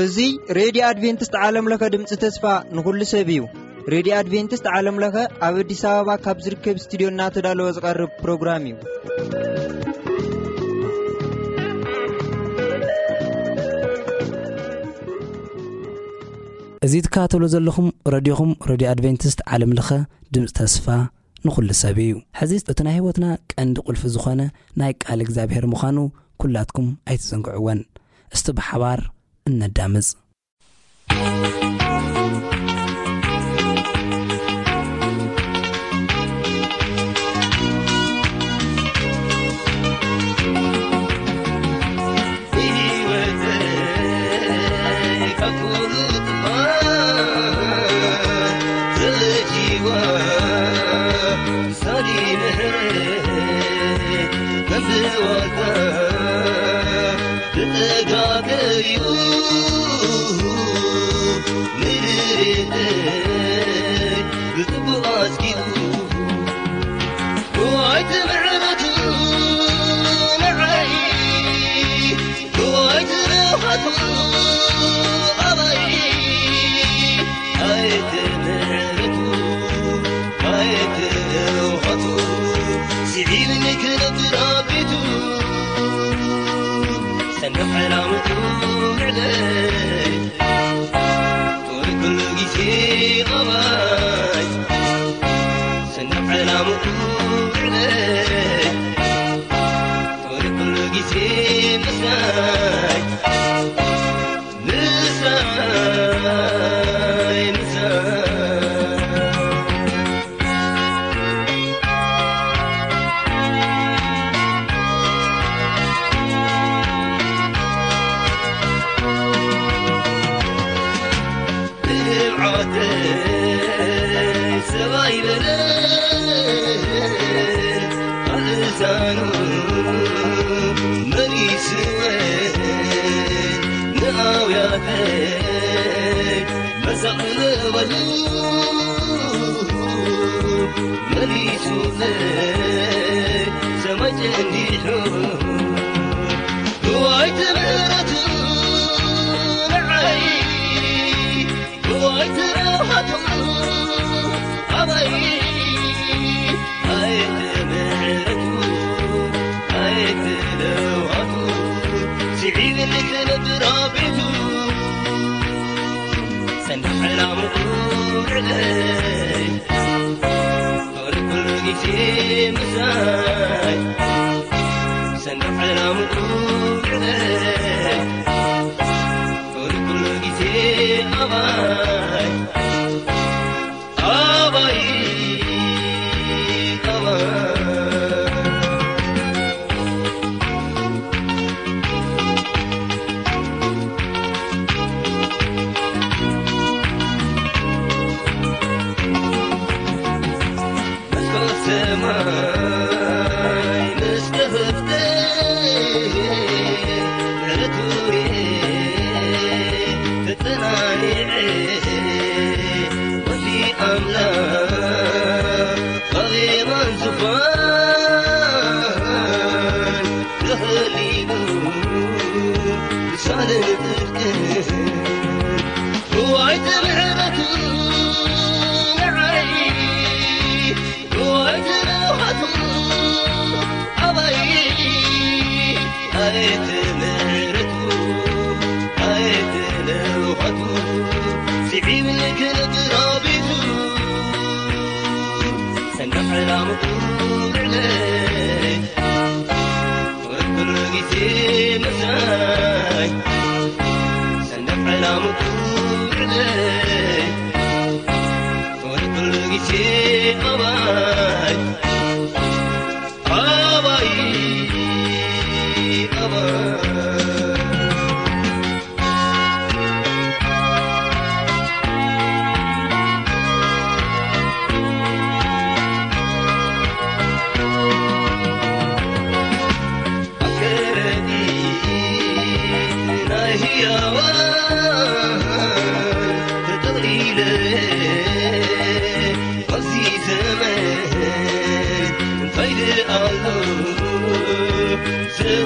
እዚ ሬድዮ ኣድቬንቲስት ዓለም ለኸ ድምፂ ተስፋ ንኹሉ ሰብ እዩ። ሬድዮ ኣድቬንቲስት ዓለም ለኸ ኣብ ኣዲስ ኣበባ ካብ ዝርከብ ስቱዲዮ እናተዳለወ ዝቐርብ ፕሮግራም እዩ። እዚ ትከታተሉ ዘለኹም ረድዮኹም፣ ረድዮ ኣድቬንቲስት ዓለም ለኸ ድምፂ ተስፋ ንኹሉ ሰብ እዩ። ሕዚ እቲ ናይ ህይወትና ቀንዲ ቁልፊ ዝኾነ ናይ ቃል እግዚኣብሔር ምዃኑ ኩላትኩም ኣይትዘንግዕወን። እስቲ ብሓባር እነዳምፅ።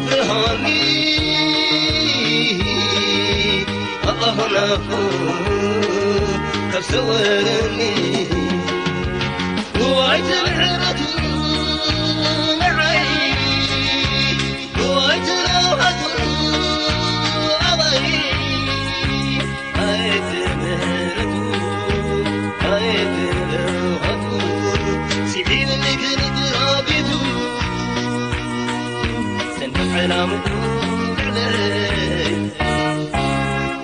ብርሃኒ ኣላሆ ናፉ ካብ ሰወረኒ ዋይተ ምሕረቱ ንዓይ ዋይተ ናውሃቱ ኣባይ ኣየተ ምሕረቱ ኣየተ ናውሃቱ ስዒብኒ ክንድራ ቤቱ ሰንደቕ ዕላምኡ ልዕለይ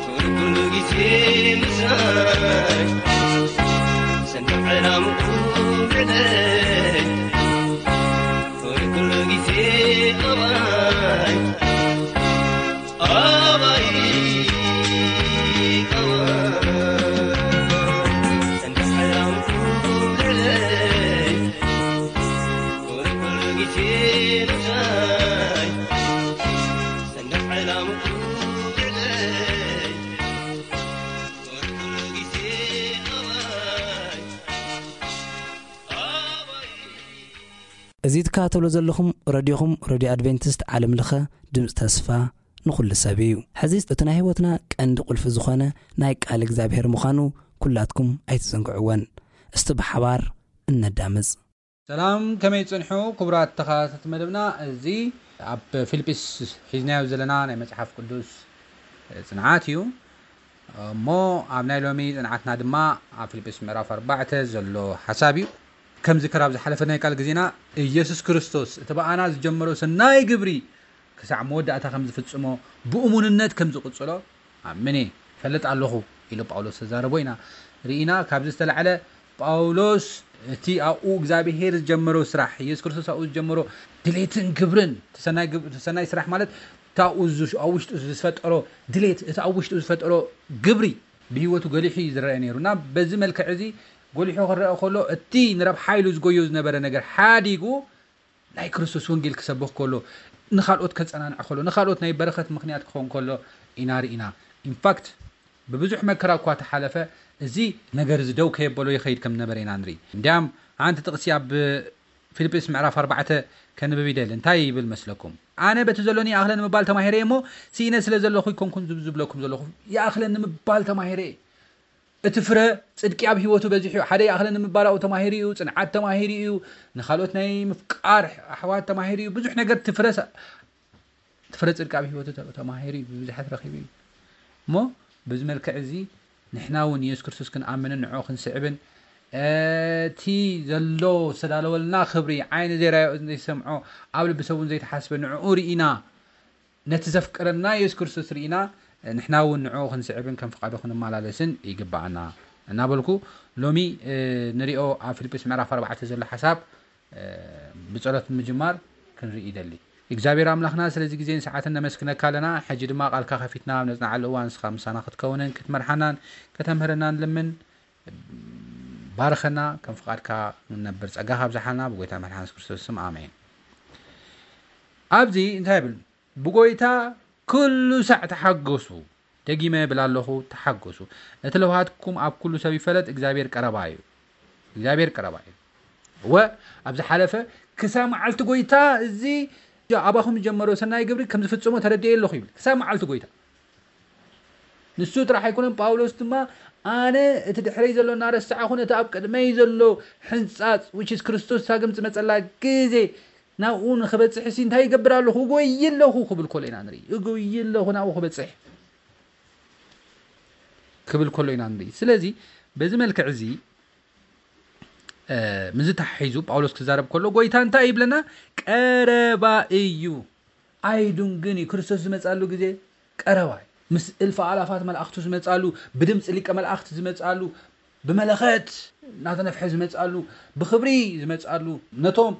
ኩሉ ግዜ ምሳይ ሰንደቕ ዕላምኡ ልዕለይ ኩሉ ግዜ ኣባይ ኣባይ ኣባይ ሰንደቕ ዕላምኡ ልዕለይ ኩሉ ግዜ ምሳይ ሰንደቕ ዕላምኡ ልዕለይ ኩሉ ግዜ ኣባይ ኣባይ እዚ ትከታተሎ ዘለኹም ረድዮኹም ረድዮ ኣድቬንቲስት ዓለም ለኸ ድምፂ ተስፋ ንኹሉ ሰብ እዩ። ሕዚ እቲ ናይ ህይወትና ቀንዲ ቁልፊ ዝኾነ ናይ ቃል እግዚኣብሔር ምዃኑ ኩላትኩም ኣይትዘንግዕወን። እስቲ ብሓባር እነዳምፅ። ሰላም፣ ከመይ ጽንሑ ክቡራት ተኸታተልቲ መደብና? እዚ ኣብ ፊልጲስ ሒዝናዮ ዘለና ናይ መጽሓፍ ቅዱስ ጽንዓት እዩ። እሞ ኣብ ናይ ሎሚ ጽንዓትና ድማ ኣብ ፊልጲስ ምዕራፍ ኣርባዕተ ዘሎ ሓሳብ እዩ። ከም ዝክር ኣብ ዝሓለፈ ናይ ቃል ግዜና ኢየሱስ ክርስቶስ እቲ ብኣና ዝጀመሮ ሰናይ ግብሪ ክሳዕ መወዳእታ ከም ዝፍጽሞ ብእሙንነት ከም ዝቕጽሎ ኣምን እየ፣ ይፈልጥ ኣለኹ ኢሉ ጳውሎስ ተዛረቦ ኢና ርኢና። ካብዚ ዝተላዕለ ጳውሎስ እቲ ኣብኡ እግዚኣብሄር ዝጀመሮ ስራሕ፣ ኢየሱስ ክርስቶስ ኣብኡ ዝጀመሮ ድሌትን ግብርን፣ እቲ ሰናይ ግብ- እቲ ሰናይ ስራሕ ማለት እቲ ኣብኡ ዝ- ኣብ ውሽጡ ዝፈጠሮ ድሌት፣ እቲ ኣብ ውሽጡ ዝፈጠሮ ግብሪ ብህይወቱ ገሊሑ እዩ ዝረአ ነይሩ እና በዚ መልክዕ እዚ ጎሊሑ ክረአ ከሎ እቲ ንረብሓ ኢሉ ዝጎዮ ዝነበረ ነገር ሓዲጉ ናይ ክርስቶስ ወንጌል ክሰብኽ ከሎ፣ ንኻልኦት ከጸናንዕ ከሎ፣ ንኻልኦት ናይ በረኸት ምኽንያት ክኸውን ከሎ ኢና ርኢና። ኢንፋክት ብብዙሕ መከራ እኳ ተሓለፈ፣ እዚ ነገር እዚ ደው ከየበሎ ይኸይድ ከም ዝነበረ ኢና ንርኢ። እንዲያም ሓንቲ ጥቕሲ ኣብ ፊልጵስ ምዕራፍ ኣርባዕተ ከንብብ ይደሊ። እንታይ ይብል መስለኩም? ኣነ በቲ ዘሎኒ ይኣኽለኒ ምባል ተማሂረ እሞ፣ ስኢነ ስለ ዘለኹ ኣይኮንኩን ዝብ- ዝብለኩም ዘለኹ፣ ይኣኽለኒ ምባል ተማሂረ። እቲ ፍረ ጽድቂ ኣብ ህይወቱ በዚሑ እዩ። ሓደ ይኣኽለኒ ምባል ኣብኡ ተማሂሩ እዩ፣ ጽንዓት ተማሂሩ እዩ፣ ንኻልኦት ናይ ምፍቃር ኣሕዋት ተማሂሩ እዩ። ብዙሕ ነገር እቲ ፍረ ሰ- እቲ ፍረ ጽድቂ ኣብ ህይወቱ ተ- ተማሂሩ እዩ፣ ብብዙሓት ረኺቡ እዩ። እሞ በዚ መልክዕ እዚ ንሕና እውን የሱስ ክርስቶስ ክንኣምንን ንዕኡ ክንስዕብን እቲ ዘሎ ዝተዳለወልና ክብሪ ዓይኒ ዘይራዮ እዝኒ ዘይሰምዖ ኣብ ልቢ ሰብ እውን ዘይተሓስበ ንዕኡ ርኢና ነቲ ዘፍቅረና የሱስ ክርስቶስ ርኢና ንሕና እውን ንዕኡ ክንስዕብን ከም ፍቓዱ ክንመላለስን ይግብኣና እናበልኩ ሎሚ ንሪኦ ኣብ ፊልጵስ ምዕራፍ ኣርባዕተ ዘሎ ሓሳብ ብጸሎት ንምጅማር ክንርኢ ይደሊ። እግዚኣብሔር ኣምላኽና ስለዚ ግዜን ሰዓትን ነመስግነካ ኣለና። ሕጂ ድማ ቃልካ ከፊትና ኣብ ነጽንዓሉ እዋን ንስኻ ምሳና ክትከውንን ክትመርሓናን ከተምህረናን ልምን። ባርኸና ከም ፍቓድካ ንነብር ጸጋኻ ኣብዝሓልና ብጎይታ መድሓን የሱስ ክርስቶስ ስም ኣሜን። ኣብዚ እንታይ ይብል? ብጎይታ ኩሉ ሳዕ ተሓገሱ። ደጊመ እብል ኣለኹ፣ ተሓገሱ። እቲ ለውሃትኩም ኣብ ኩሉ ሰብ ይፈለጥ፣ እግዚኣብሔር ቀረባ እዩ። እግዚኣብሔር ቀረባ እዩ። እወ፣ ኣብ ዝሓለፈ ክሳብ መዓልቲ ጎይታ እዚ ኣባኹም ዝጀመሮ ሰናይ ግብሪ ከም ዝፍጽሞ ተረዲኤ ኣለኹ ይብል። ክሳብ መዓልቲ ጎይታ። ንሱ ጥራሕ ኣይኮነን፣ ጳውሎስ ድማ ኣነ እቲ ድሕረይ ዘሎ እናረሳዕኹ ነቲ ኣብ ቅድመይ ዘሎ ሕንጻጽ which is ክርስቶስ ሳግም ዝመጸላ ግዜ ናብኡ ንኽበጽሕ ሲ እንታይ ይገብር ኣለኹ? እጎይ ኣለኹ ክብል ከሎ ኢና ንርኢ። እጎይ ኣለኹ ናብኡ ክበጽሕ ክብል ከሎ ኢና ንርኢ። ስለዚ በዚ መልክዕ እዚ ምዚ ተሓሒዙ ጳውሎስ ክዛረብ ከሎ ጎይታ እንታይ ይብለና? ቀረባ እዩ። ኣይዱንግን እዩ። ክርስቶስ ዝመጻሉ ግዜ ቀረባ እዩ። ምስ እልፍ ኣላፋት መላእኽቱ ዝመጻሉ፣ ብድምፂ ሊቀ መላእኽቲ ዝመጻሉ፣ ብመለኸት እናተነፍሐ ዝመጻሉ፣ ብኽብሪ ዝመጻሉ፣ ነቶም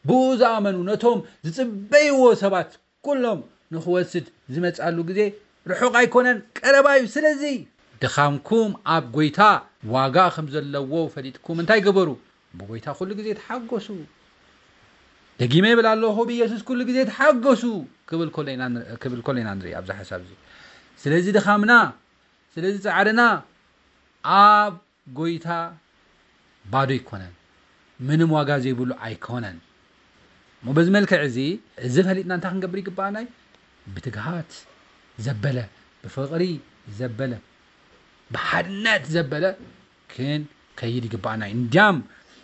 ብኡ ዝኣመኑ፣ ነቶም ዝጽበይዎ ሰባት ኩሎም ንኽወስድ ዝመጻሉ ግዜ ርሑቕ ኣይኮነን፣ ቀረባ እዩ። ስለዚ ድኻምኩም ኣብ ጎይታ ዋጋ ከም ዘለዎ ፈሊጥኩም እንታይ ገበሩ? ብጎይታ ኩሉ ግዜ ተሓጎሱ። ደጊመ ይብል ኣለኹ፣ ብኢየሱስ ኩሉ ግዜ ተሓጎሱ ክብል ከሎ ኢና ን- ክብል ከሎ ኢና ንርኢ ኣብዚ ሓሳብ እዚ። ስለዚ ድኻምና፣ ስለዚ ጻዕርና ኣብ ጎይታ ባዶ ኣይኮነን፣ ምንም ዋጋ ዘይብሉ ኣይኮነን። እሞ በዚ መልክዕ እዚ፣ እዚ ፈሊጥና እንታይ ክንገብር ይግባኣና እዩ? ብትግሃት ዘበለ፣ ብፍቕሪ ዘበለ፣ ብሓድነት ዘበለ ክንከይድ ይግባኣና እዩ። እንዲያም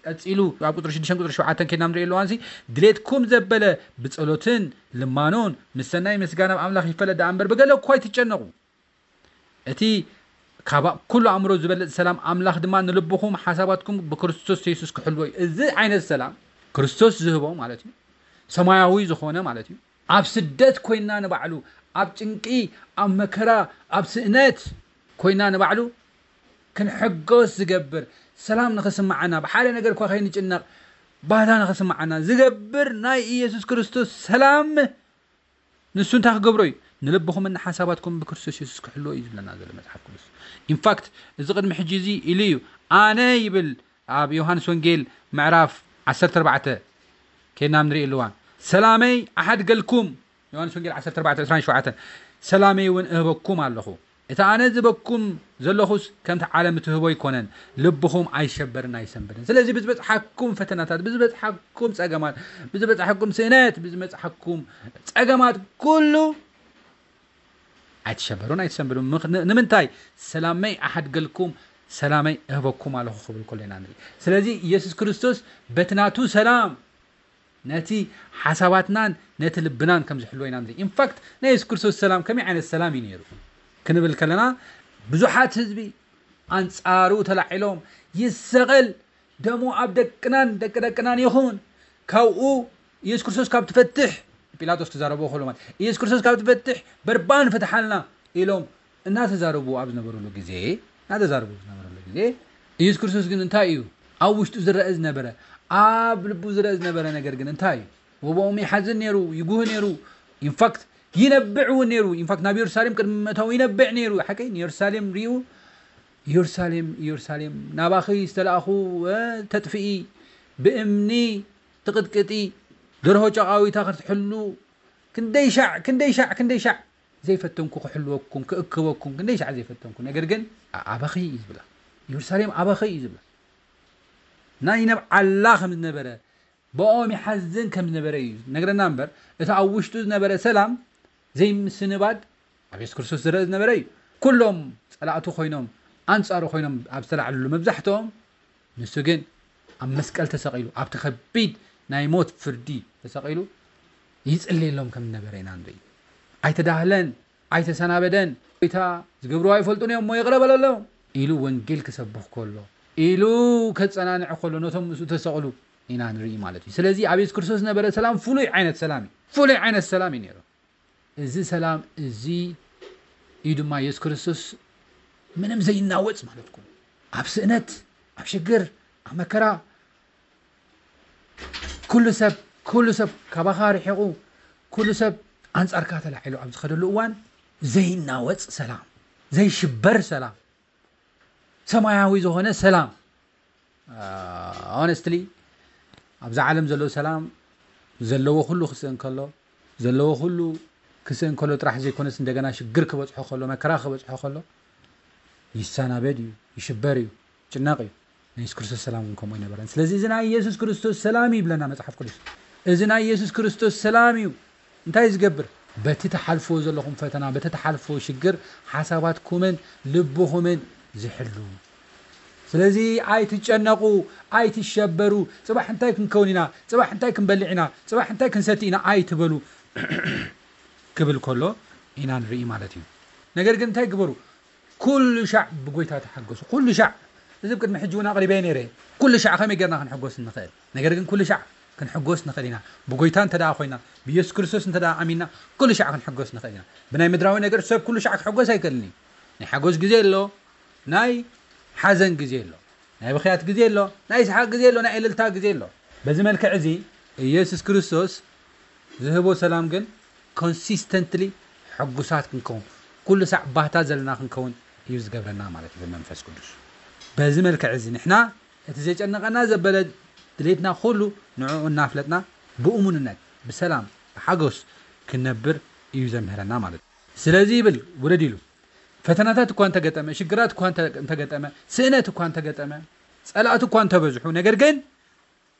ቀጺሉ ኣብ ቁጽሪ ሽዱሽተ ቁጽሪ ሸውዓተ ከይድና ንርኢ ኣለዋንሲ፣ ድሌትኩም ዘበለ ብጸሎትን ልማኖን ምስ ሰናይ ምስጋና ኣብ ኣምላኽ ይፈለጥ ደኣ እምበር ብገለ እኳ ኣይትጨነቑ። እቲ ካብ ኩሉ ኣእምሮ ዝበልጽ ሰላም ኣምላኽ ድማ ንልብኹም ሓሳባትኩም ብክርስቶስ የሱስ ክሕልዎ እዩ። እዚ ዓይነት ሰላም ክርስቶስ ዝህቦ ማለት እዩ። ሰማያዊ ዝኾነ ማለት እዩ። ኣብ ስደት ኮይና ንባዕሉ፣ ኣብ ጭንቂ፣ ኣብ መከራ፣ ኣብ ስእነት ኮይና ንባዕሉ ክንሕጎስ ዝገብር፣ ሰላም ንኽስምዓና፣ ብሓደ ነገር እኳ ከይንጭነቕ፣ ባህታ ንኽስምዓና ዝገብር ናይ ኢየሱስ ክርስቶስ ሰላም ንሱ እንታይ ክገብሮ እዩ? ንልብኹምን ንሓሳባትኩም ብክርስቶስ የሱስ ክሕልዎ እዩ ዝብለና ዘሎ መጽሓፍ ቅዱስ። ኢንፋክት፣ እዚ ቅድሚ ሕጂ እዚ ኢሉ እዩ። ኣነ ይብል ኣብ ዮሃንስ ወንጌል ምዕራፍ ዓሰርተ ኣርባዕተ ከይድና ንርኢ ኣለዋ። ሰላመይ ኣሓድገልኩም፣ ዮሃንስ ወንጌል ዓሰርተ ኣርባዕተ ዕስራን ሸውዓተን፣ ሰላመይ እውን እህበኩም ኣለኹ። እቲ ኣነ ዝበኩም ዘለኹስ ከምቲ ዓለም እትህቦ ኣይኮነን። ልብኹም ኣይሸበርን ኣይሰንብድን። ስለዚ ብዝበጽሓኩም ፈተናታት፣ ብዝበጽሓኩም ጸገማት፣ ብዝበጽሓኩም ስእነት፣ ብዝበጽሓኩም ጸገማት ኩሉ ኣይትሸበሩን ኣይትሰንብዱን። ምኽ-፣ ን-፣ ንምንታይ? ሰላመይ ኣሓድገልኩም፣ ሰላመይ እህበኩም ኣለኹ ክብል ከሎ ኢና ንርኢ። ስለዚ ኢየሱስ ክርስቶስ በቲ ናቱ ሰላም ነቲ ሓሳባትናን ነቲ ልብናን ከም ዝሕልዎ ኢና ንርኢ። ኢንፋክት ናይ የሱስ ክርስቶስ ሰላም ከመይ ዓይነት ሰላም እዩ ነይሩ ክንብል ከለና፣ ብዙሓት ህዝቢ ኣንጻሩ ተላዒሎም፣ ይሰቐል፣ ደሙ ኣብ ደቅናን ደቂ ደቅናን ይኹን፣ ካብኡ ኢየሱስ ክርስቶስ ካብ ትፈትሕ፣ ጲላጦስ ተዛረቦ ከሎ ማለት፣ ኢየሱስ ክርስቶስ ካብ ትፈትሕ በርባን ፍትሓልና ኢሎም እናተዛረቡ ኣብ ዝነበሩሉ ግዜ፣ እናተዛረቡ ኣብ ዝነበሩሉ ግዜ፣ ኢየሱስ ክርስቶስ ግን እንታይ እዩ ኣብ ውሽጡ ዝረአ ዝነበረ፣ ኣብ ልቡ ዝረአ ዝነበረ ነገር ግን እንታይ እዩ? ወቦኦም ይሓዝን ነይሩ፣ ይጉህ ነይሩ። ኢንፋክት ይነብዕ እውን ነይሩ። ኢንፋክት ናብ ኢየሩሳሌም ቅድሚ ምእታው ይነብዕ ነይሩ። ሓቀይ ንኢየሩሳሌም ሪኡ፣ ኢየሩሳሌም፣ ኢየሩሳሌም፣ ናባኺ ዝተላእኹ፣ እ፣ ተጥፍኢ፣ ብእምኒ ትቕጥቅጢ፣ ደርሆ ጨቓዊታ ክትሕሉ፣ ክንደይ ሻዕ፣ ክንደይ ሻዕ፣ ክንደይ ሻዕ ዘይፈተንኩ ክሕልወኩም፣ ክእክበኩም፣ ክንደይ ሻዕ ዘይፈተንኩ። ነገር ግን ኣ-፣ ኣበኺ እዩ ዝብላ። ኢየሩሳሌም ኣበኺ እዩ ዝብላ። ናይ ነብዓላ ከም ዝነበረ፣ ብኦም ይሓዝን ከም ዝነበረ እዩ ነግረና እምበር፣ እቲ ኣብ ውሽጡ ዝነበረ ሰላም ዘይምስንባድ ኣብ የሱስ ክርስቶስ ዝረአ ዝነበረ እዩ። ኩሎም ጸላእቱ ኮይኖም፣ ኣንጻሩ ኮይኖም ኣብ ዝተላዕልሉ መብዛሕትኦም፣ ንሱ ግን ኣብ መስቀል ተሰቒሉ፣ ኣብቲ ከቢድ ናይ ሞት ፍርዲ ተሰቒሉ ይጽልየሎም ከም ዝነበረ ኢና ንርኢ። ኣይተዳህለን፣ ኣይተሰናበደን። "ጎይታ፣ ዝገብርዎ ኣይፈልጡን እዮም እሞ ይቕረ በለሎም" ኢሉ ወንጌል ክሰብኽ ከሎ፣ ኢሉ ከጸናንዕ ከሎ፣ ነቶም ምስኡ ተሰቕሉ ኢና ንርኢ ማለት እዩ። ስለዚ ኣብ የሱስ ክርስቶስ ዝነበረ ሰላም ፍሉይ ዓይነት ሰላም እዩ። ፍሉይ ዓይነት ሰላም እዩ ነይሩ። እዚ ሰላም እዚ እዩ ድማ የሱስ ክርስቶስ ምንም ዘይናወጽ ማለት እኮ እዩ። ኣብ ስእነት፣ ኣብ ሽግር፣ ኣብ መከራ፣ ኩሉ ሰብ፣ ኩሉ ሰብ ካባኻ ርሒቑ፣ ኩሉ ሰብ ኣንጻርካ ተላዒሉ ኣብ ዝኸደሉ እዋን ዘይናወጽ ሰላም፣ ዘይሽበር ሰላም፣ ሰማያዊ ዝኾነ ሰላም። ኦነስትሊ፣ ኣብዛ ዓለም ዘሎ ሰላም ዘለዎ ኩሉ ክስእን ከሎ፣ ዘለዎ ኩሉ ክስእን ከሎ ጥራሕ ዘይኮነስ፣ እንደገና ሽግር ክበጽሖ ከሎ፣ መከራ ክበጽሖ ከሎ፣ ይሰናበድ እዩ፣ ይሽበር እዩ፣ ይጭነቕ እዩ። ናይ የሱስ ክርስቶስ ሰላም እውን ከምኡ ኣይነበረን። ስለዚ እዚ ናይ የሱስ ክርስቶስ ሰላም እዩ ይብለና መጽሓፍ ቅዱስ። እዚ ናይ የሱስ ክርስቶስ ሰላም እዩ። እንታይ እዩ ዝገብር? በቲ ትሓልፍዎ ዘለኹም ፈተና፣ በቲ ትሓልፍዎ ሽግር፣ ሓሳባትኩምን ልብኹምን ዝሕሉ። ስለዚ ኣይትጨነቑ፣ ኣይትሸበሩ። ጽባሕ እንታይ ክንከውን ኢና? ጽባሕ እንታይ ክንበልዕ ኢና? ጽባሕ እንታይ ክንሰቲ ኢና? ኣይትበሉ ክብል ከሎ ኢና ንርኢ ማለት እዩ። ነገር ግን እንታይ ግበሩ? ኩሉ ሻዕ ብጎይታ ተሓገሱ። ኩሉ ሻዕ። እዚ ኣብ ቅድሚ ሕጂ እውን ኣቕሪበዮ ነይረ። ኩሉ ሻዕ ከመይ ጌርና ክንሕጎስ ንኽእል? ነገር ግን ኩሉ ሻዕ ክንሕጎስ ንኽእል ኢና። ብጎይታ እንተ ደኣ ኮይና፣ ብየሱስ ክርስቶስ እንተ ደኣ ኣሚንና፣ ኩሉ ሻዕ ክንሕጎስ ንኽእል ኢና። ብናይ ምድራዊ ነገር ሰብ ኩሉ ሻዕ ክሕጎስ ኣይክእልን እዩ። ናይ ሓጎስ ግዜ ኣሎ፣ ናይ ሓዘን ግዜ ኣሎ፣ ናይ ብኽያት ግዜ ኣሎ፣ ናይ ይስሓቕ ግዜ ኣሎ፣ ናይ እልልታ ግዜ ኣሎ። በዚ መልክዕ እዚ ኢየሱስ ክርስቶስ ዝህቦ ሰላም ግን ኮንሲስተንትሊ ሕጉሳት ክንከውን፣ ኩሉ ሳዕ ባህታ ዘለና ክንከውን እዩ ዝገብረና ማለት እዩ ብመንፈስ ቅዱስ። በዚ መልክዕ እዚ ንሕና እቲ ዘጨነቐና ዘበለ ድሌትና ኩሉ ንዕኡ እናፍለጥና ብእሙንነት፣ ብሰላም፣ ብሓጎስ ክንነብር እዩ ዘምህረና ማለት እዩ። ስለዚ ይብል ውረድ ኢሉ። ፈተናታት እኳ እንተገጠመ፣ ሽግራት እኳ እንተ-፣ እንተገጠመ፣ ስእነት እኳ እንተገጠመ፣ ጸላእቲ እኳ እንተበዝሑ፣ ነገር ግን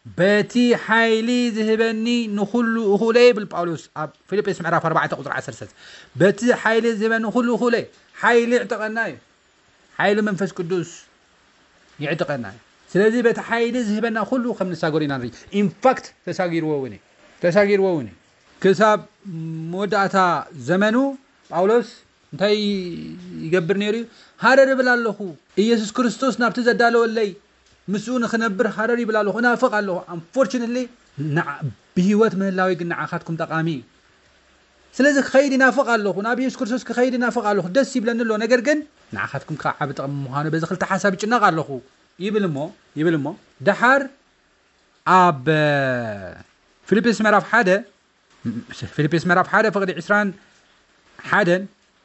በቲ ሓይሊ ዝህበኒ ንኹሉ እኹለ ይብል ጳውሎስ ኣብ ፊልጵስ ምዕራፍ ኣርባዕተ ቁፅሪ ዓሰርተ። በቲ ሓይሊ ዝህበኒ ንኹሉ እኹለ። ሓይሊ ይዕጠቐና እዩ። ሓይሊ መንፈስ ቅዱስ ይዕጠቐና እዩ። ስለዚ በቲ ሓይሊ ዝህበና ኩሉ ከም ንሳገሩ ኢና ንርኢ። ኢንፋክት ተሳጊርዎ እውን እዩ። ተሳጊርዎ እውን እዩ። ክሳብ መወዳእታ ዘመኑ ጳውሎስ እንታይ ይገብር ነይሩ እዩ? ሃረር እብል ኣለኹ። ኢየሱስ ክርስቶስ ናብቲ ዘዳለወለይ ምስኡ ንኽነብር ሃረር ይብል ኣለኹ፣ እናፍቕ ኣለኹ። ኣንፎርችነትሊ ብህይወት ምህላዊ ግን ንዓኻትኩም ጠቓሚ እዩ። ስለዚ ክኸይድ ይናፍቕ ኣለኹ፣ ናብ ኢየሱስ ክርስቶስ ክኸይድ ይናፍቕ ኣለኹ፣ ደስ ይብለኒ ኣሎ። ነገር ግን ንዓኻትኩም ከዓ ዓቢ ጥቕሚ ምዃኑ በዚ ክልተ ሓሳብ ይጭነቕ ኣለኹ ይብል እሞ ይብል እሞ ደሓር ኣብ ፊልጵስ ምዕራፍ ሓደ ፊልጵስ ምዕራፍ ሓደ ፍቕዲ ዕስራን ሓደን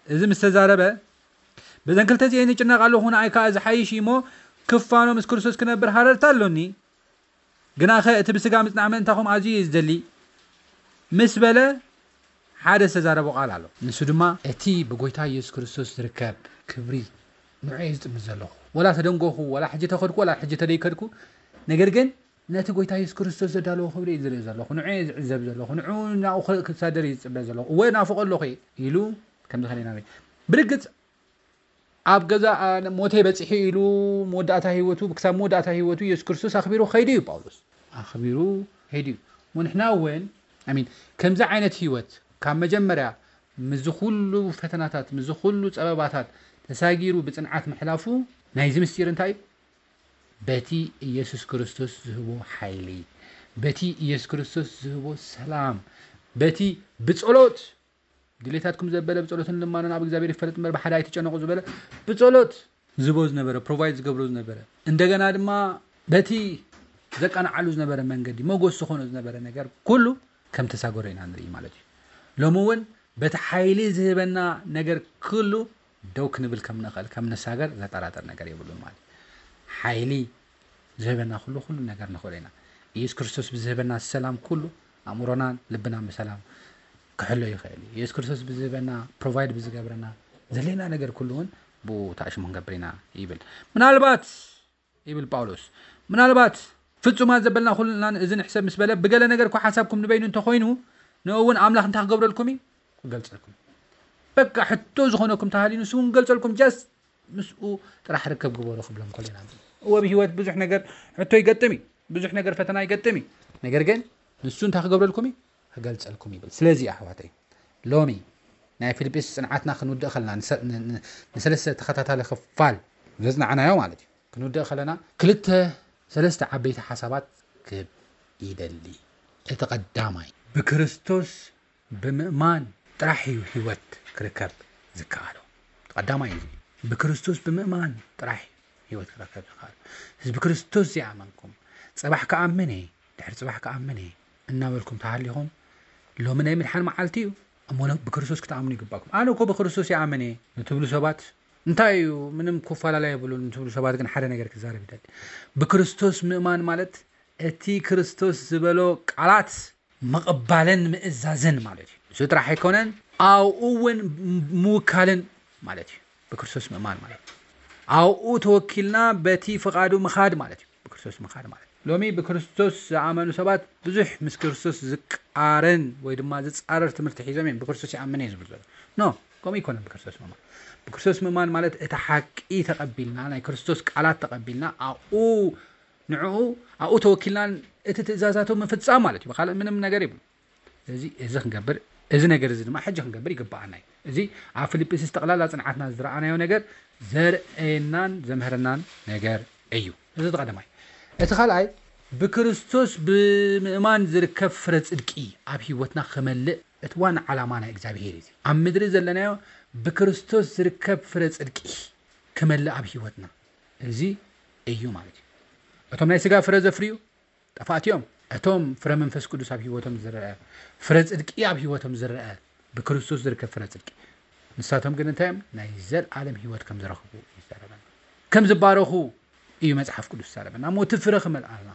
እዚ ምስ ተዛረበ፣ በዘን ክልተ እዚአን ይጭነቕ ኣለኹ፣ ንኣይ ከዓ ዝሓይሽ እዩ እሞ ክፋኖ ምስ ክርስቶስ ክነብር ሃረርታ ኣሎኒ። ግናኸ እቲ ብስጋ ምጽናዕ ምእንታኹም ኣዝዩ እየ ዝደሊ ምስ በለ ሓደ ዝተዛረቦ ቃል ኣሎ። ንሱ ድማ እቲ ብጎይታ ኢየሱስ ክርስቶስ ዝርከብ ክብሪ ንዑ እየ ዝጥምት ዘለኹ። ወላ ተደንጎኹ፣ ወላ ሕጂ ተኸድኩ፣ ወላ ሕጂ ተደይከድኩ፣ ነገር ግን ነቲ ጎይታ ኢየሱስ ክርስቶስ ዘዳለዎ ክብሪ እየ ዝርኢ ዘለኹ። ንዑ እየ ዝዕዘብ ዘለኹ። ንዑ ናብኡ ክሳደር እየ ዝጽበ ዘለኹ። እወ ናፍቆ ኣለኹ እየ ኢሉ ከምዚ ከለና ብርግጽ ኣብ ገዛ ሞተይ በጺሑ ኢሉ መወዳእታ ህይወቱ ክሳብ መወዳእታ ህይወቱ ኢየሱስ ክርስቶስ ኣኽቢሩ ከይዱ እዩ ጳውሎስ ኣኽቢሩ ከይዱ እዩ። እሞ ንሕና እውን ኣሚን ከምዚ ዓይነት ህይወት ካብ መጀመርያ ምዚ ኩሉ ፈተናታት ምዚ ኩሉ ጸበባታት ተሳጊሩ ብጽንዓት ምሕላፉ ናይዚ ምስጢር እንታይ እዩ? በቲ ኢየሱስ ክርስቶስ ዝህቦ ሓይሊ በቲ ኢየሱስ ክርስቶስ ዝህቦ ሰላም በቲ ብጸሎት ድሌታትኩም ዘበለ ብጸሎትን ልማኖን ኣብ እግዚኣብሔር ይፈለጥ እምበር ብሓደ ኣይትጨነቁ ዝበለ ብጸሎት ዝቦ ዝነበረ ፕሮቫይድ ዝገብሮ ዝነበረ እንደገና ድማ በቲ ዘቃንዓሉ ዝነበረ መንገዲ መጎስ ዝኾኖ ዝነበረ ነገር ኩሉ ከም ተሳገሮ ኢና ንርኢ ማለት እዩ። ሎሚ እውን በቲ ሓይሊ ዝህበና ነገር ኩሉ ደው ክንብል ከም ንኽእል ከም ንሳገር ዘጠራጠር ነገር የብሉን ማለት እዩ። ሓይሊ ዝህበና ኩሉ ኩሉ ነገር ንኽእሎ ኢና። ኢየሱስ ክርስቶስ ብዝህበና ሰላም ኩሉ ኣእምሮናን ልብናን ብሰላም ክሕሎ ይኽእል እዩ። ኢየሱስ ክርስቶስ ብዝህበና ፕሮቫይድ ብዝገብረና ዘሌና ነገር ኩሉ እውን ብኡ ተኣሽሙ ክንገብር ኢና ይብል። ምናልባት ይብል ጳውሎስ ምናልባት ፍጹማት ዘበልና ኩልናን እዚ ንሕሰብ ምስ በለ ብገለ ነገር እኳ ሓሳብኩም ንበይኑ እንተኾይኑ ንእውን ኣምላኽ እንታይ ክገብረልኩም እዩ ክገልጸልኩም በቃ ሕቶ ዝኾነኩም ተሃልዩ ንሱ እውን ክገልጸልኩም ጃስት ምስኡ ጥራሕ ርከብ ግበሩ ክብሎም ከሎ ኢና። እወ ብህይወት ብዙሕ ነገር ሕቶ ይገጥም እዩ፣ ብዙሕ ነገር ፈተና ይገጥም እዩ። ነገር ግን ንሱ እንታይ ክገብረልኩም እዩ ክገልጸልኩም ይብል። ስለዚ ኣሕዋተይ ሎሚ ናይ ፊልጵስ ጽንዓትና ክንውድእ ከለና ንሰለስተ ተኸታታሊ ክፋል ዘጽናዕናዮ ማለት እዩ ክንውድእ ከለና ክልተ ሰለስተ ዓበይቲ ሓሳባት ክብ ይደሊ። እቲ ቀዳማይ ብክርስቶስ ብምእማን ጥራሕ እዩ ህይወት ክርከብ ዝከኣሎ። ቀዳማይ እዚ ብክርስቶስ ብምእማን ጥራሕ እዩ ህይወት ክረከብ ዝከኣሎ። እዚ ብክርስቶስ ዘይኣመንኩም፣ "ጽባሕ ክኣምን እየ፣ ድሕሪ ጽባሕ ክኣምን እየ" እናበልኩም ተሃሊኹም፣ ሎሚ ናይ ምድሓን መዓልቲ እዩ እሞ ሎ-፣ ብክርስቶስ ክትኣምኑ ይግባኩም። "ኣነ እኮ ብክርስቶስ ይኣምን እየ" ንትብሉ ሰባት፣ እንታይ እዩ ምንም ክፈላለ የብሉን ንትብሉ ሰባት ግን ሓደ ነገር ክዛረብ ይደሊ። ብክርስቶስ ምእማን ማለት እቲ ክርስቶስ ዝበሎ ቃላት ምቕባልን ምእዛዝን ማለት እዩ። ንሱ ጥራሕ ኣይኮነን ኣብኡ እውን ምውካልን ማለት እዩ። ብክርስቶስ ምእማን ማለት ኣብኡ ተወኪልና በቲ ፍቓዱ ምኻድ ማለት እዩ። ብክርስቶስ ምኻድ ማለት ሎሚ ብክርስቶስ ዝኣመኑ ሰባት ብዙሕ ምስ ክርስቶስ ዝቃረን ወይ ድማ ዝጻረር ትምህርቲ ሒዞም እዮም። ብክርስቶስ ይኣምን እየ ዝብል ዘሎ ኖ፣ ከምኡ ኣይኮነን። ብክርስቶስ ምእማን ብክርስቶስ ምእማን ማለት እቲ ሓቂ ተቐቢልና ናይ ክርስቶስ ቃላት ተቐቢልና ኣብኡ ንዕኡ ኣብኡ ተወኪልና እቲ ትእዛዛቱ ምፍጻም ማለት እዩ። ብኻልእ ምንም ነገር ይብሉ። ስለዚ እዚ ክንገብር እዚ ነገር እዚ ድማ ሕጂ ክንገብር ይግባኣና እዩ። እዚ ኣብ ፊልጵስዩስ ጠቕላላ ጽንዓትና ዝረኣናዮ ነገር ዘርእየናን ዘምህረናን ነገር እዩ። እዚ እቲ ቀዳማይ። እቲ ካልኣይ ብክርስቶስ ብምእማን ዝርከብ ፍረ ጽድቂ ኣብ ህይወትና ክመልእ እቲ ዋና ዓላማ ናይ እግዚኣብሔር እዩ። ኣብ ምድሪ ዘለናዮ ብክርስቶስ ዝርከብ ፍረ ጽድቂ ክመልእ ኣብ ህይወትና እዚ እዩ ማለት እዩ። እቶም ናይ ስጋ ፍረ ዘፍርዩ ጠፋእቲ እዮም። እቶም ፍረ መንፈስ ቅዱስ ኣብ ህይወቶም ዝረአ ፍረ ጽድቂ ኣብ ህይወቶም ዝረአ ብክርስቶስ ዝርከብ ፍረ ጽድቂ ንሳቶም ግን እንታይ እዮም ናይ ዘለኣለም ህይወት ከም ዝረኽቡ ይዛረበና ከም ዝባረኹ እዩ መጽሓፍ ቅዱስ ዝዛረበና እሞ እቲ ፍረ ክመልኣልና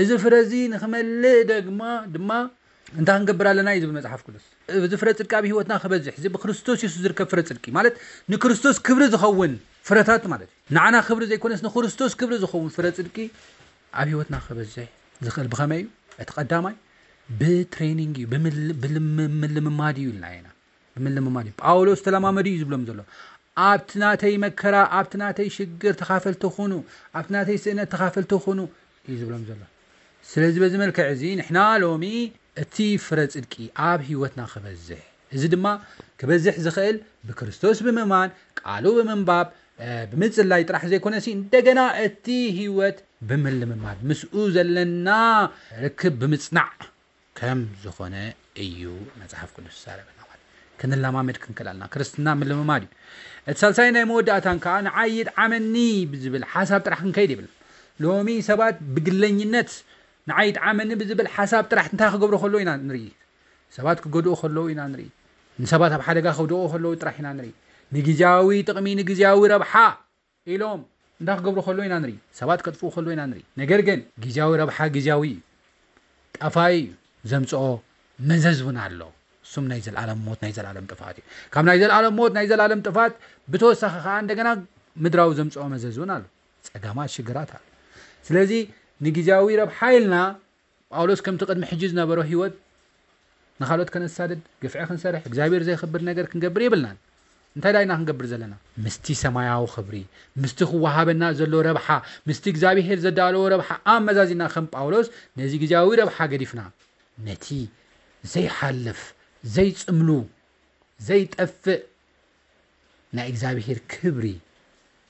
እዚ ፍረ እዚ ንክመልእ ደግማ ድማ እንታይ ክንገብር ኣለና እዩ ዝብል መጽሓፍ ቅዱስ እዚ ፍረ ጽድቂ ኣብ ህይወትና ክበዝሕ እዚ ብክርስቶስ የሱስ ዝርከብ ፍረ ጽድቂ ማለት ንክርስቶስ ክብሪ ዝኸውን ፍረታት ማለት እዩ ንዓና ክብሪ ዘይኮነስ ንክርስቶስ ክብሪ ዝኸውን ፍረ ጽድቂ ኣብ ህይወትና ክበዝሕ ዝኽእል ብኸመይ እዩ? እቲ ቀዳማይ ብትሬኒንግ እዩ፣ ብምል- ብልም- ብምልምማድ እዩ ኢልና ኢና። ብምልምማድ እዩ። ጳውሎስ ተለማመዱ እዩ ዝብሎም ዘሎ። ኣብቲ ናተይ መከራ፣ ኣብቲ ናተይ ሽግር ተኻፈልቲ ኩኑ፣ ኣብቲ ናተይ ስእነት ተኻፈልቲ ኩኑ እዩ ዝብሎም ዘሎ። ስለዚ በዚ መልክዕ እዚ ንሕና ሎሚ እቲ ፍረ ጽድቂ ኣብ ህይወትና ክበዝሕ፣ እዚ ድማ ክበዝሕ ዝኽእል ብክርስቶስ ብምእማን፣ ቃሉ ብምንባብ፣ እ፣ ብምጽላይ ጥራሕ ዘይኮነሲ እንደገና እቲ ህይወት ብምልምማድ ምስኡ ዘለና ርክብ ብምጽናዕ ከም ዝኾነ እዩ መጽሓፍ ቅዱስ ዝዛረበና። ማለት ክንለማመድ ክንክእል ኣለና። ክርስትና ምልምማድ እዩ። እቲ ሳልሳይ ናይ መወዳእታን ከዓ ንዓይ ይጥዓመኒ ብዝብል ሓሳብ ጥራሕ ክንከይድ ይብል። ሎሚ ሰባት ብግለኝነት ንዓይ ይጥዓመኒ ብዝብል ሓሳብ ጥራሕ እንታይ ክገብሩ ከለዉ ኢና ንርኢ። ሰባት ክጎድኡ ከለዉ ኢና ንርኢ። ንሰባት ኣብ ሓደጋ ከውድቑ ከለዉ ጥራሕ ኢና ንርኢ። ንግዝያዊ ጥቕሚ፣ ንግዝያዊ ረብሓ ኢሎም እንታይ ክገብሩ ከለዉ ኢና ንርኢ። ሰባት ከጥፍኡ ከለዉ ኢና ንርኢ። ነገር ግን ግዝያዊ ረብሓ ግዝያዊ እዩ፣ ጠፋኢ እዩ፣ ዘምፅኦ መዘዝ እውን ኣሎ። እሱም ናይ ዘለኣለም ሞት፣ ናይ ዘለኣለም ጥፋት እዩ። ካብ ናይ ዘለኣለም ሞት፣ ናይ ዘለኣለም ጥፋት ብተወሳኺ ከዓ እንደገና ምድራዊ ዘምፅኦ መዘዝ እውን ኣሎ። ፀጋማት ሽግራት ኣሎ። ስለዚ ንግዝያዊ ረብሓ ኢልና ጳውሎስ ከምቲ ቅድሚ ሕጂ ዝነበሮ ህይወት ንኻልኦት ከነሳድድ፣ ግፍዒ ክንሰርሕ፣ እግዚኣብሔር ዘይኽብር ነገር ክንገብር የብልናን። እንታይ ዳይና ክንገብር ዘለና? ምስቲ ሰማያዊ ክብሪ፣ ምስቲ ክወሃበና ዘሎ ረብሓ፣ ምስቲ እግዚኣብሔር ዘዳለዎ ረብሓ ኣመዛዚና ከም ጳውሎስ ነዚ ግዜያዊ ረብሓ ገዲፍና ነቲ ዘይሓልፍ፣ ዘይጽምሉ፣ ዘይጠፍእ ናይ እግዚኣብሔር ክብሪ፣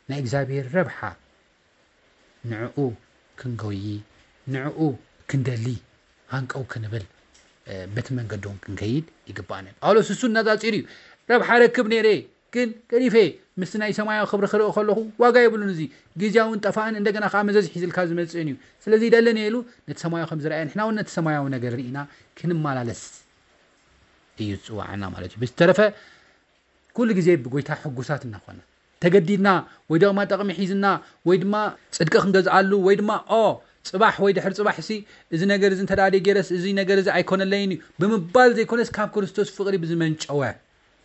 ናይ እግዚኣብሔር ረብሓ ንዕኡ ክንጎዪ፣ ንዕኡ ክንደሊ፣ ሃንቀው ክንብል፣ እ፣ በቲ መንገዶም ክንከይድ ይግባኣና እዩ። ጳውሎስ እሱ እናጻጺሩ እዩ። ረብሓ ረክብ ነይረ፣ ግን ገዲፈ፣ ምስቲ ናይ ሰማያዊ ክብሪ ክርኢ ከለኹ ዋጋ የብሉን። እዚ ግዜያውን ጠፋእን እንደገና ከዓ መዘዝ ሒዝልካ ዝመጽእን እዩ። ስለዚ ይደለኒ ኢሉ ነቲ ሰማያዊ ከም ዝረኣየ ንሕና እውን ነቲ ሰማያዊ ነገር ርኢና ክንመላለስ እዩ ዝጽዋዓና ማለት እዩ። ብዝተረፈ ኩሉ ግዜ ብጎይታ ሕጉሳት እናኾና ተገዲድና ወይ ድማ ጠቕሚ ሒዝና ወይ ድማ ጽድቂ ክንገዝኣሉ ወይ ድማ ኦ ጽባሕ ወይ ድሕሪ ጽባሕ ሲ እዚ ነገር እዚ እንተ ደኣ ገይረስ እዚ ነገር እዚ ኣይኮነለይን እዩ ብምባል ዘይኮነስ ካብ ክርስቶስ ፍቕሪ ብዝመንጨወ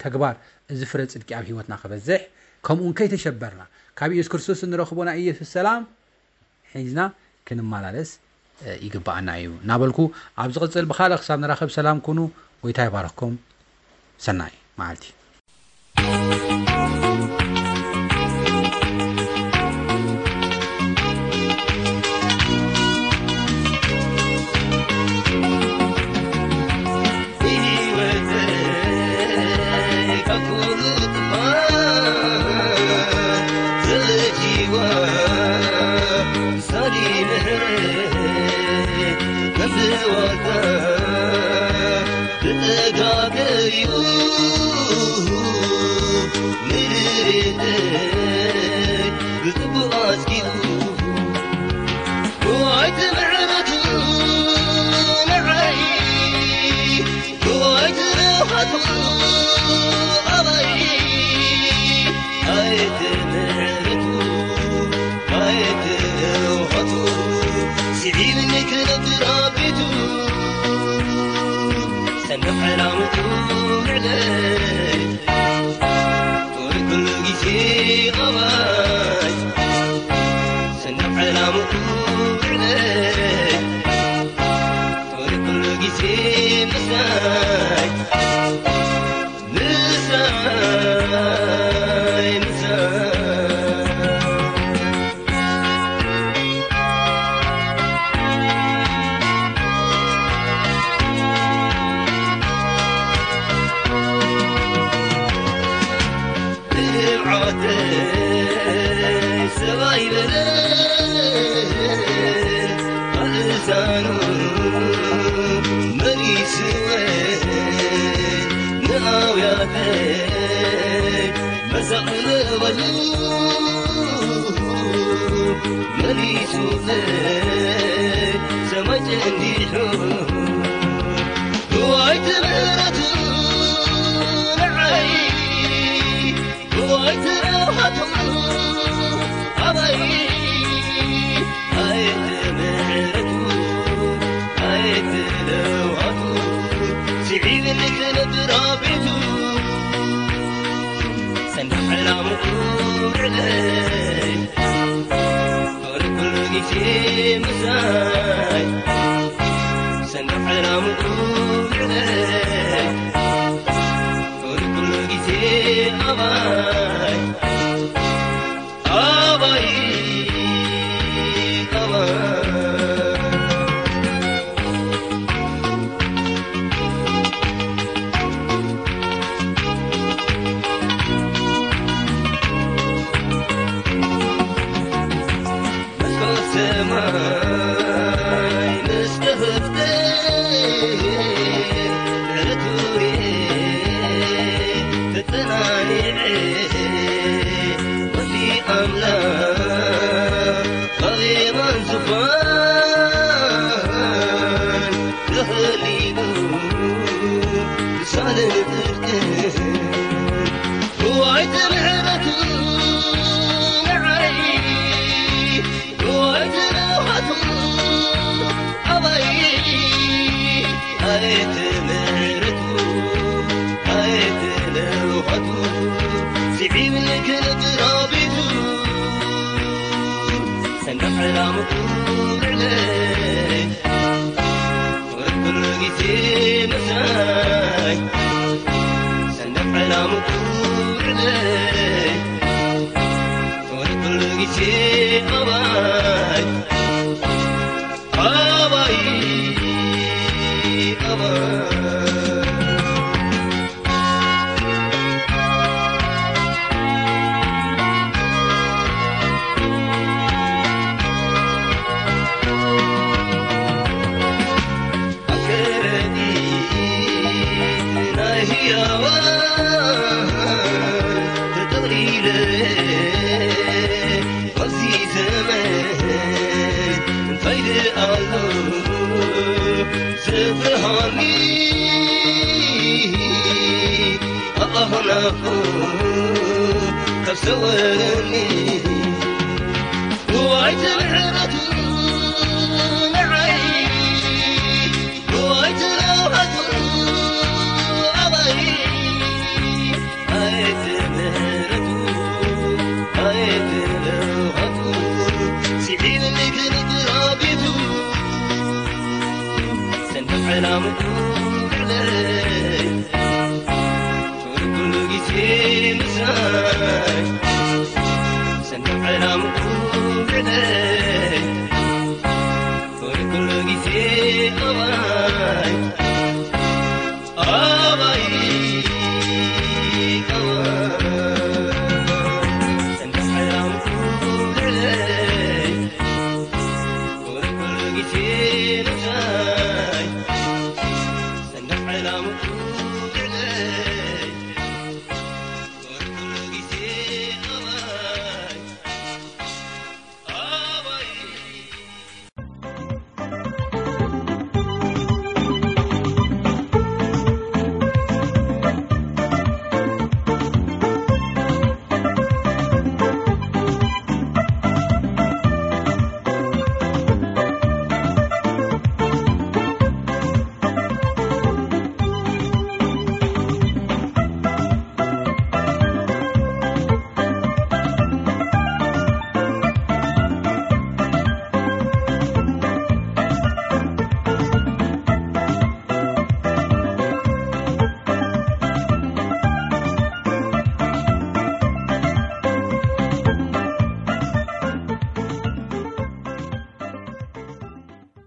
ተግባር እዚ ፍረ ጽድቂ ኣብ ህይወትና ክበዝሕ ከምኡ እውን ከይተሸበርና ካብ ኢየሱስ ክርስቶስ እንረኽቦ ናይ ኢየሱስ ሰላም ሒዝና ክንመላለስ ይግባኣና እዩ እናበልኩ ኣብ ዝቕጽል ብኻልእ ክሳብ ንራኸብ ሰላም ኩኑ። ጎይታ ይባርኽኩም። ሰናይ መዓልቲ። ኣየት ምሕረቱ ኣየት ለውሃቱ ስዒብ ንክነጥራቢቱ ሰንደቕ ዕላምኡ ልዕለይ ወርኩሉ ግዜ ምሳይ ሰንደቕ ዕላምኡ ልዕለይ ወርኩሉ ግዜ ኣባይ ኣባይ ኣባይ ኣከረዲት ናይ ህያዋን ተጠቕሊለ ኣብዚ ዘመን እንታይ ደኣ ኣሎ ዘፍርሃኒ ኣላሆናኹ ካብ ሰወረኒ ዋይ ትምሕረቱ ንዓይ ዋይ ትለውሃቱ ኣባይ ኣየት ምሕረቱ ኣየት ለውሃቱ ስዒብኒ ክንድራቢቱ ሰንደቕ ዕላምኡ ልዕለይ ኩሉ ግዜ ምሳይ ሰንደቕ ዕላምኡ ልዕለይ ኩሉ ግዜ ኣባይ ኣባይ ኣባይ ሰንደቕ ዕላምኡ ልዕለይ ኩሉ ግዜ ምሳይ